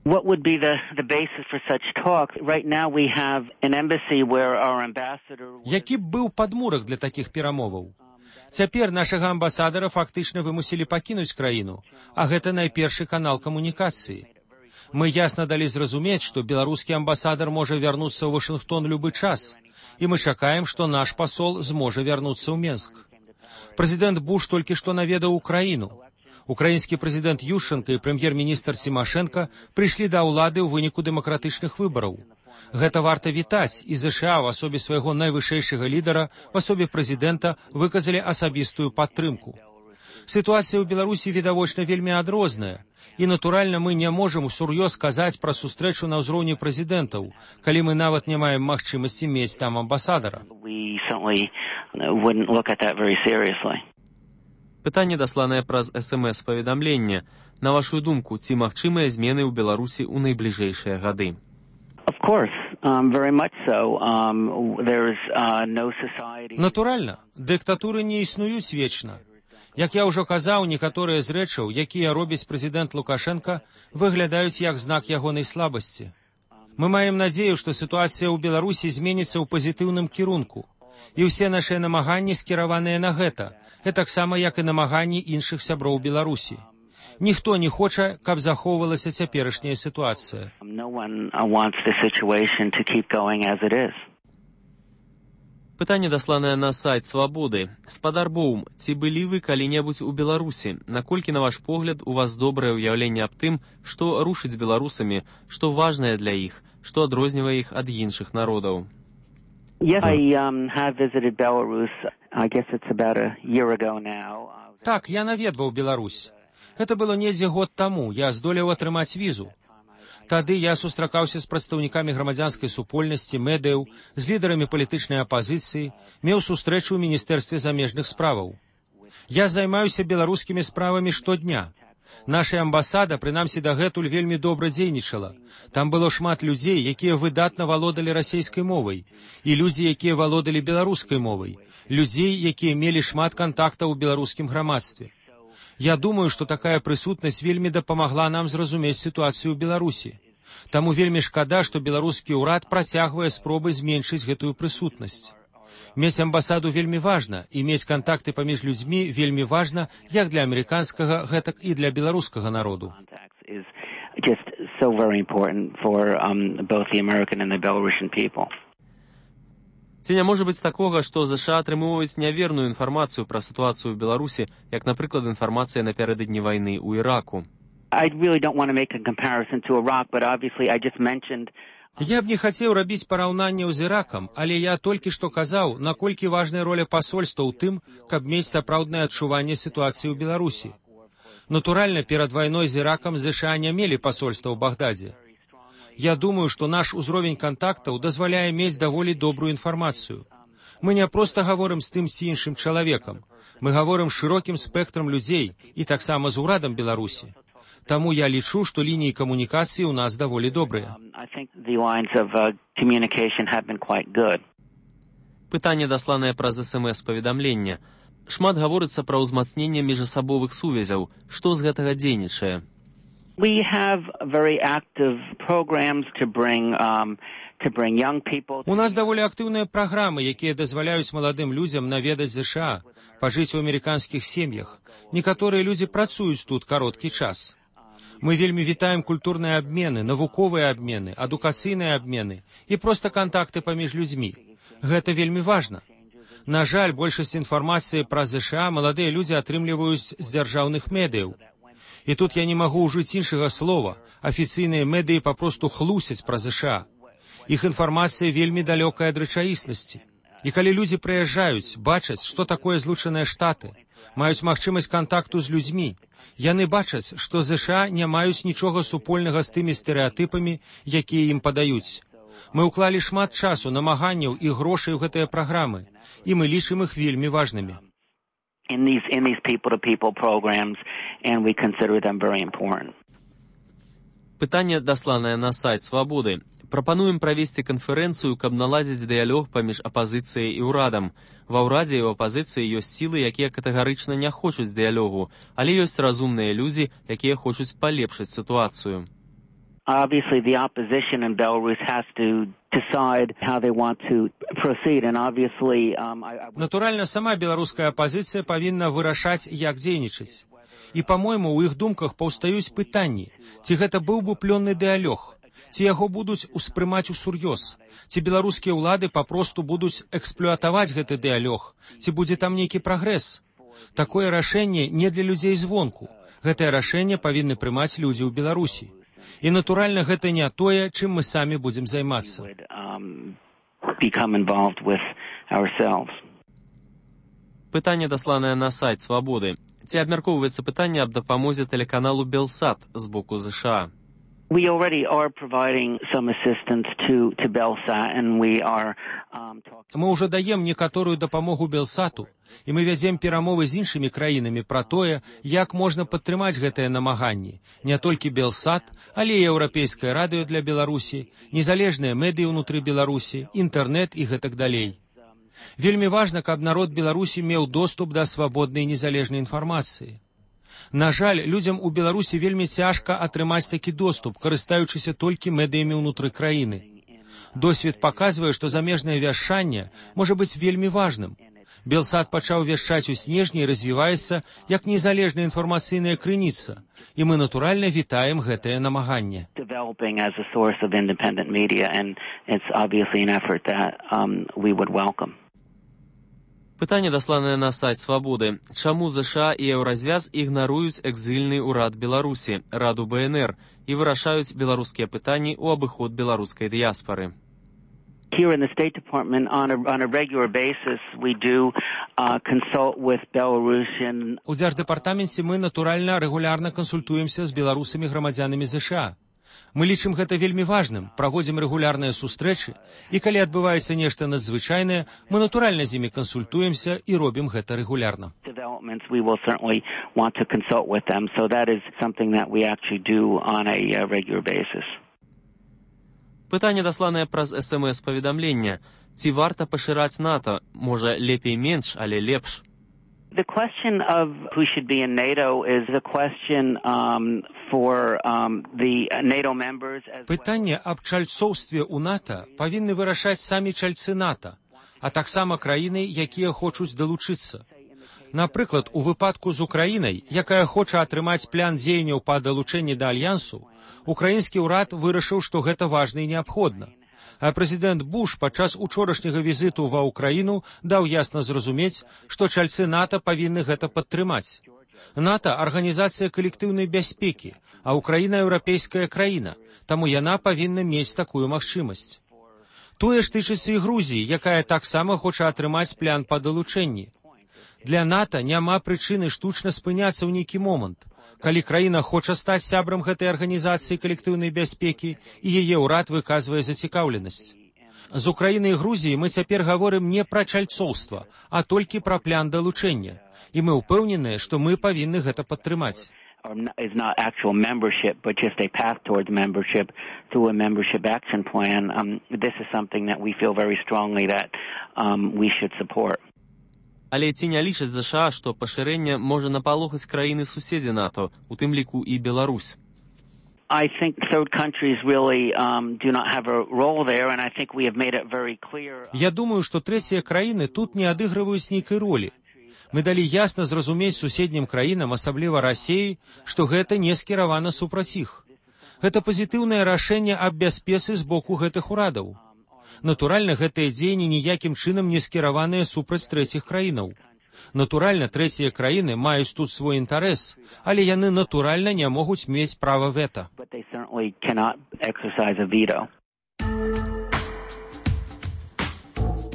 What would be the basis for such talk? Right now we have an embassy where our ambassador... Які б быў падмурак для такіх перамоваў? Цяпер нашага амбасадара фактычна вымусілі пакінуць краіну, а гэта найпершы канал камунікацыі. Мы ясна далі зразумець, што беларускі амбасадар можа вярнуцца ў Вашынгтон любы час, і мы чакаем, што наш пасол зможа вярнуцца ў Менск. Прэзідэнт Буш толькі што наведаў Украіну. Украінскі прэзідэнт Ющенка і прэм'ер-міністр Цімашэнка прыйшлі да ўлады ў выніку дэмакратычных выбараў. Гэта варта вітаць, і ЗША ў асобе свайго найвышэйшага лідара, в асобе прэзідэнта, выказалі асабістую падтрымку. Сітуацыя ў Беларусі відавочна вельмі адрозная, і, натуральна, мы не можам усур'ёз казаць пра сустрэчу на ўзроўні прэзідэнтаў, калі мы нават не маем магчымасці мець там амбасадара. Пытанне дасланае праз СМС-паведамленне. На вашу думку, ці магчымыя змены ў Беларусі ў найбліжэйшыя гады? Натуральна, дыктатуры не існуюць вечна. Як я ўжо казаў, некаторыя з рэчаў, якія робіць прэзідэнт Лукашенка, выглядаюць як знак ягонай слабасці. Мы маем надзею, што сітуацыя ў Беларусі зменіцца ў пазітыўным кірунку, і ўсе нашыя намаганні скіраваныя на гэта, таксама як і намаганні іншых сяброў Беларусі. Ніхто не хоча, каб захоўвалася цяперашняя сітуацыя. Пытанне дасланае на сайт Свабоды. Спадар Боум, ці былі вы калі-небудзь у Беларусі? Наколькі, на ваш погляд, у вас добрае ўяўленне аб тым, што рушыць з беларусамі, што важнае для іх, што адрознівае іх ад іншых народаў? Yes, I have visited Belarus. I guess it's about a year ago now. Так, я наведваў Беларусь. Гэта было недзе год таму. Я здолеў атрымаць візу. Тады я сустракаўся з прадстаўнікамі грамадзянскай супольнасці, медыяў, з лідарамі палітычнай апазіцыі, меў сустрэчу ў Міністэрстве замежных справаў. Я займаюся беларускімі справамі штодня. Наша амбасада, прынамсі дагэтуль, вельмі добра дзейнічала. Там было шмат людзей, якія выдатна валодалі расейскай мовай, і людзі, якія валодалі беларускай мовай, людзей, якія мелі шмат кантактаў у беларускім грамадстве. Я думаю, што такая прысутнасць вельмі дапамагла нам зразумець сітуацыю ў Беларусі. Таму вельмі шкада, што беларускі ўрад працягвае спробы зменшыць гэтую прысутнасць. Мець амбасаду вельмі важна, і мець кантакты паміж людзьмі вельмі важна як для амерыканскага, гэтак і для беларускага народу. Ці не можа быць такога, што ЗША атрымоўваюць няверную інфармацыю пра сітуацыю ў Беларусі, як, напрыклад, інфармацыя напярэдадні вайны ў Іраку? Я б не хацеў рабіць параўнанняў з Іракам, але я толькі што казаў, наколькі важная роля пасольства ў тым, каб мець сапраўднае адчуванне сітуацыі ў Беларусі. Натуральна, перад вайной з Іракам ЗША не мелі пасольства ў Багдадзе. Я думаю, што наш узровень кантактаў дазваляе мець даволі добрую інфармацыю. Мы не проста гаворым з тым ці іншым чалавекам. Мы гаворым з шырокім спектрам людзей і таксама з урадам Беларусі. Таму я лічу, што лініі камунікацыі ў нас даволі добрыя. Пытанне дасланае праз СМС-паведамленне. Шмат гаворыцца пра ўзмацненне міжасабовых сувязяў. Што з гэтага дзейнічае? We have very active programs to bring young people. У нас даволі актыўныя праграмы, якія дазваляюць маладым людзям наведаць ЗША, пажыць у амерыканскіх сем'ях. Некаторыя людзі працуюць тут кароткі час. Мы вельмі вітаем культурныя абмены, навуковыя абмены, адукацыйныя абмены і проста кантакты паміж людзьмі. Гэта вельмі важна. На жаль, большасць інфармацыі пра ЗША маладыя людзі атрымліваюць з дзяржаўных медыяў. І тут я не магу ўжыць іншага слова. Афіцыйныя медыі папросту хлусяць пра ЗША. Іх інфармацыя вельмі далёкая ад рэчаіснасці. І калі людзі прыязджаюць, бачаць, што такое Злучаныя Штаты, маюць магчымасць кантакту з людзьмі, яны бачаць, што ЗША не маюць нічога супольнага з тымі стэрэатыпамі, якія ім падаюць. Мы ўклалі шмат часу, намаганняў і грошай у гэтыя праграмы, і мы лічым іх вельмі важнымі. In these people-to-people programs, and we consider them very important. Пытанне дасланае на сайт Свабоды. Прапануем правесці канферэнцыю, каб наладзіць дыялог паміж апазіцыяй і ўрадам. Ва ўрадзе і ў апазіцыі ёсць сілы, якія катэгарычна не хочуць дыялогу, але ёсць разумныя людзі, якія хочуць палепшыць сітуацыю. Obviously, the opposition in Belarus has to decide how they want to proceed, and obviously, Натуральна, сама беларуская апазіцыя павінна вырашаць, як дзейнічаць. І, па-мойму, у іх думках паўстаюць пытанні, ці гэта быў бы плённы дыялог, ці яго будуць успрымаць усур'ёз, ці беларускія ўлады папросту будуць эксплуатаваць гэты дыялог, ці будзе там нейкі прагрэс. Такое рашэнне не для людзей звонку. Гэтае рашэнне павінны прымаць людзі ў Беларусі. І, натуральна, гэта не тое, чым мы самі будзем займацца. Пытанне, дасланае на сайт «Свабоды». Ці абмяркоўваецца пытанне аб дапамозе тэлеканалу «Белсат» з боку ЗША? We already are providing some assistance to Belsat, and we are talking. Мы ўжо даем некаторую дапамогу Белсату, і мы вядзем перамовы з іншымі краінамі пра тое, як можна падтрымаць гэтыя намаганні. Не толькі Белсат, але і Еўрапейскае радыё для Беларусі, незалежныя медыі ўнутры Беларусі, інтэрнэт і гэтак далей. Вельмі важна, каб народ Беларусі меў доступ да свабоднай і незалежнай інфармацыі. На жаль, людзям у Беларусі вельмі цяжка атрымаць такі доступ, карыстаючыся толькі медыямі ўнутры краіны. Досвед паказвае, што замежнае вяшчанне можа быць вельмі важным. Белсат пачаў вяшчаць у снежні і развіваецца як незалежная інфармацыйная крыніца, і мы натуральна вітаем гэтае намаганне. Пытанне, дасланае на сайт «Свабоды». Чаму ЗША і Еўразвяз ігнаруюць экзільны ўрад Беларусі, Раду БНР, і вырашаюць беларускія пытанні ў абыход беларускай дыяспары? Here in the State Department, on a regular basis, we do consult with Belarusian. У Дзярждэпартаменце мы, натуральна, рэгулярна кансультуемся з беларусамі-грамадзянамі ЗША. Мы лічым гэта вельмі важным, праводзім рэгулярныя сустрэчы, і калі адбываецца нешта надзвычайнае, мы натуральна з імі кансультуемся і робім гэта рэгулярна. We will certainly want to consult with them, so that is something that we actually do on a regular basis. Пытанне, дасланае праз СМС-паведамлення. Ці варта пашыраць НАТО? Можа, лепей менш, але лепш? The question of who should be in NATO is a question for the NATO members. Пытанне аб чальцоўстве ў НАТО павінны вырашаць самі чальцы НАТО, а таксама краіны, якія хочуць далучыцца. Напрыклад, у выпадку з Украінай, якая хоча атрымаць план дзеянняў па далучэнні да альянсу, украінскі ўрад вырашыў, што гэта важна і неабходна. А прэзідэнт Буш падчас учорашняга візіту ва Ўкраіну даў ясна зразумець, што чальцы НАТО павінны гэта падтрымаць. НАТО – арганізацыя калектыўнай бяспекі, а Ўкраіна – еўрапейская краіна, таму яна павінна мець такую магчымасць. Тое ж тычыцца і Грузіі, якая таксама хоча атрымаць план па далучэнні. Для НАТО няма прычыны штучна спыняцца ў нейкі момант. Калі краіна хоча стаць сябрам гэтай арганізацыі калектыўнай бяспекі, і яе ўрад выказвае зацікаўленасць. З Украінай і Грузіі мы цяпер гаворым не пра чальцоўства, а толькі пра план далучэння. І мы ўпэўненыя, што мы павінны гэта падтрымаць. Is not actual membership, but just a path towards membership through a membership action plan. This is something that we feel very strongly that we should support. Але ці не лічаць ЗША, што пашырэнне можа напалохаць краіны-суседзі НАТО, у тым ліку і Беларусь? I think third countries really do not have a role there, and I think we have made it very clear. Я думаю, што трэція краіны тут не адыгрываюць нейкай ролі. Мы далі ясна зразумець суседнім краінам, асабліва Расіі, што гэта не скіравана супраць іх. Гэта пазітыўнае рашэнне аб бяспецы з боку гэтых урадаў. Натуральна, гэтыя дзеянні ніякім чынам не скіраваныя супраць трэціх краінаў. Натуральна, трэція краіны маюць тут свой інтарэс, але яны натуральна не могуць мець права вета.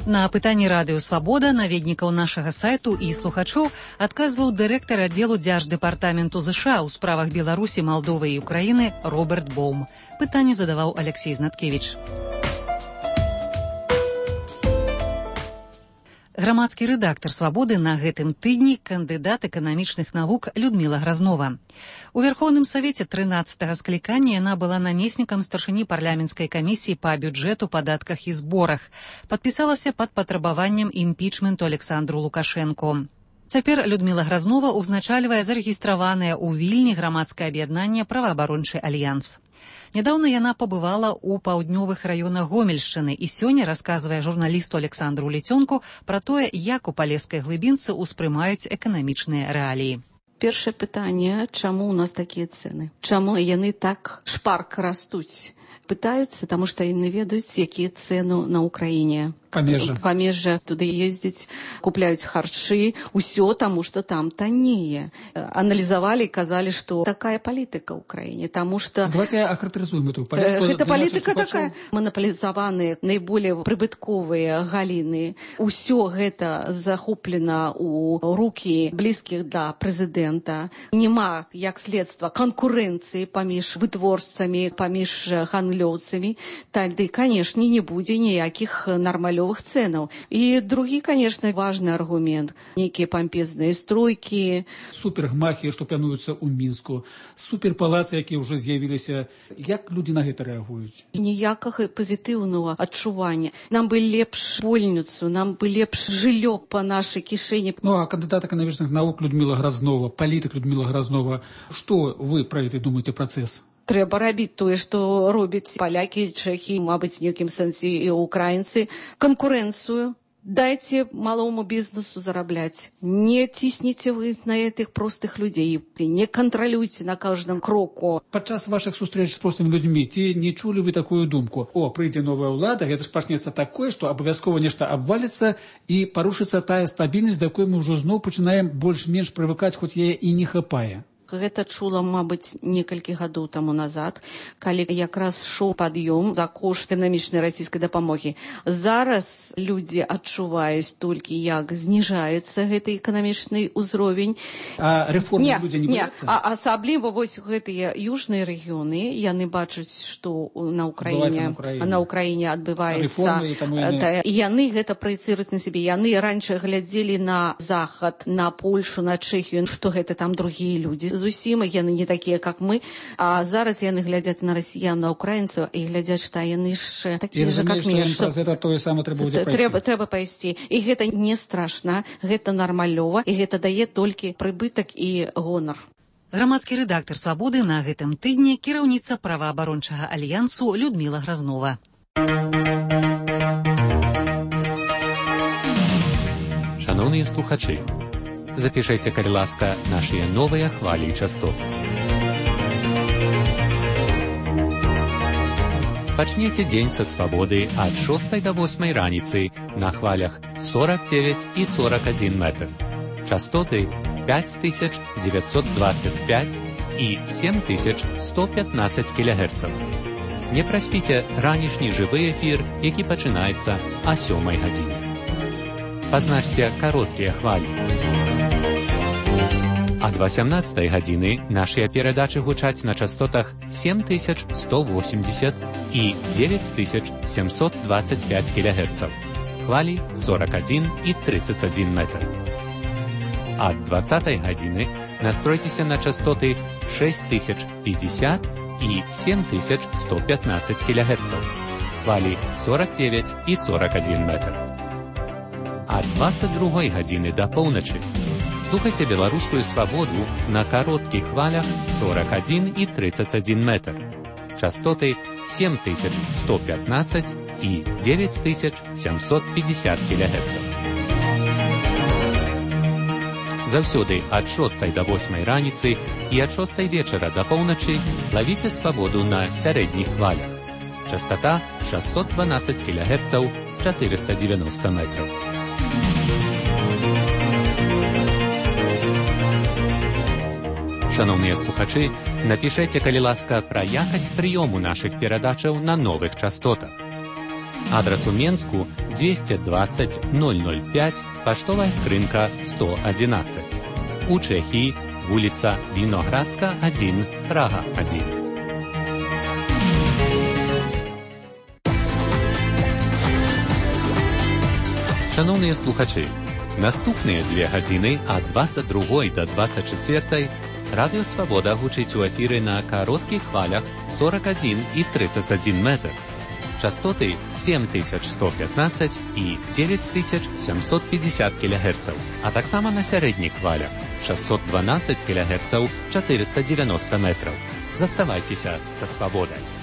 На пытанні радыё «Свабода» наведнікаў нашага сайту і слухачоў адказваў дырэктар аддзелу Дзярждэпартаменту ЗША ў справах Беларусі, Малдовы і Украіны Роберт Боум. Пытанне задаваў Алексей Знаткевіч. Грамадскі рэдактар «Свабоды» на гэтым тыдні кандыдат эканамічных навук Людміла Гразнова. У Верховным Савеце 13-го склікання яна была намеснікам старшыні парламенцкай камісіі па бюджэту, падатках і зборах. Падпісалася пад патрабаваннем імпічменту Александру Лукашэнку. Цяпер Людміла Гразнова ўзначальвае зарэгістраванае ў Вільні грамадскае аб'яднанне «Праваабарончы альянс». Нядаўна яна пабывала ў паўднёвых раёнах Гомельшчыны і сёння расказвае журналісту Александру Лецёнку пра тое, як у палескай глыбінцы ўспрымаюць эканамічныя рэаліі. Першае пытанне, чаму ў нас такія цэны? Чаму яны так шпарка растуць? Пытаюцца, таму што яны ведаюць, якія цэны на ўкраіне. Памежжа туды ездзяць, купляюць харчы, усё таму, што там таннее. Аналізавалі і казалі, што такая палітыка ў краіне, таму што... Давайте ахарактарызуем эту палітыку. Гэта палітыка такая. Манаполізаваныя наиболее прыбытковыя галіны. Усё гэта захоплена ў рукі блізкіх да прэзідэнта. Нема, як следства, канкурэнцыі паміж вытворцамі, паміж гандлёўцамі. Тады, канешне, не будзе ніякіх нармалёвых ценаў. І другі, конечно, важны аргумент. Некія пампезныя стройкі. Супергмахі, што плануюцца ў Мінску. Суперпалацы, якія ўжо з'явіліся. Як людзі на гэта рэагуюць? Ніякага пазітыўнага адчування. Нам бы лепш больніцу, нам бы лепш жыллё па нашай кішэні. Ну, а кандыдат эканамічных навук Людмила Грознова, палітык Людмила Грознова, што вы пра гэта думаеце працэс? Трэба рабіць тое, што робяць палякі, чэхі, мабыць, в нейкім сэнсе і украінцы. Канкурэнцыю. Дайце малому бізнесу зарабляць. Не цісніце вы на гэтых простых людзей. Не кантралюйце на кожным кроку. Падчас вашых сустрэч з простымі людзьмі ці не чулі вы такую думку? О, прыйдзе новая ўлада, гэта ж пачнецца такое, што абавязкова нешта абваліцца і парушыцца тая стабільнасць, да якой мы ўжо зноў пачынаем больш-менш прывыкаць, хоць яе і не хапае. Гэта чула, мабыць, некалькі гадоў таму назад, калі якраз шоў пад'ём за кошт эканамічнай расійскай дапамогі. Зараз людзі адчуваюць толькі, як зніжаецца гэты эканамічны ўзровень. А рэформы людзі не бояцца? А асабліва вось гэтыя южныя рэгіёны, яны бачаць, што на ўкраіне адбываецца. І яны гэта праецыруюць на сябе. Яны раньше глядзелі на Захад, на Польшу, на Чэхію, што гэта там другія людзі. Зусім яны не такія, як мы, а зараз яны глядзяць на расіян, на украінцаў і глядзяць, што яны ж такія ж, як мы. Трэба пайсці. І гэта не страшна, гэта нармалёва, і гэта дае толькі прыбытак і гонар. Грамадскі рэдактар «Свабоды» на гэтым тыдні кіраўніца праваабарончага альянсу Людмила Грознова. Шановныя слухачы, запішайце, калі ласка, нашыя новыя хвалі і частоты. Пачніце дзень са свабоды ад 6 до 8 раніцы на хвалях 49 і 41 метр. Частоты 5925 і 7115 кГц. Не праспіце ранішні жывы эфір, які пачынаецца о 7 гадзіне. Пазначце кароткія хвалі. Ад 18 гадзіны нашыя перадачы гучаць на частотах 7180 і 9725 кГц. Хвалі 41 і 31 метр. Ад 20 гадзіны настройцеся на частоты 6050 і 7115 кГц. Хвалі 49 і 41 метр. Ад 22 гадзіны да поўначы слухайце беларускую свабоду на кароткіх хвалях 41 і 31 метр. Частоты 7115 і 9750 кГц. Заўсёды ад 6 до 8 раніцы і ад 6 вечара да поўначы лавіце свабоду на сярэдніх хвалях. Частота 612 кГц, 490 метров. Шановныя слухачы, напішайце, калі ласка, пра якасць прыёму нашых перадачаў на новых частотах. Адрас у Менску 220 005, паштовая скрынка 111. У Чэхіі вуліца Віноградска 1, Прага 1. Шановныя слухачы, наступныя 2 гадзіны ад 22 до 24 Радыё Свабода гучыць у эфіры на кароткіх хвалях 41 і 31 метр. Частоты 7115 і 9750 кГц, а таксама на сярэдніх хвалях 612 кГц, 490 метров. Заставайцеся са свабодай.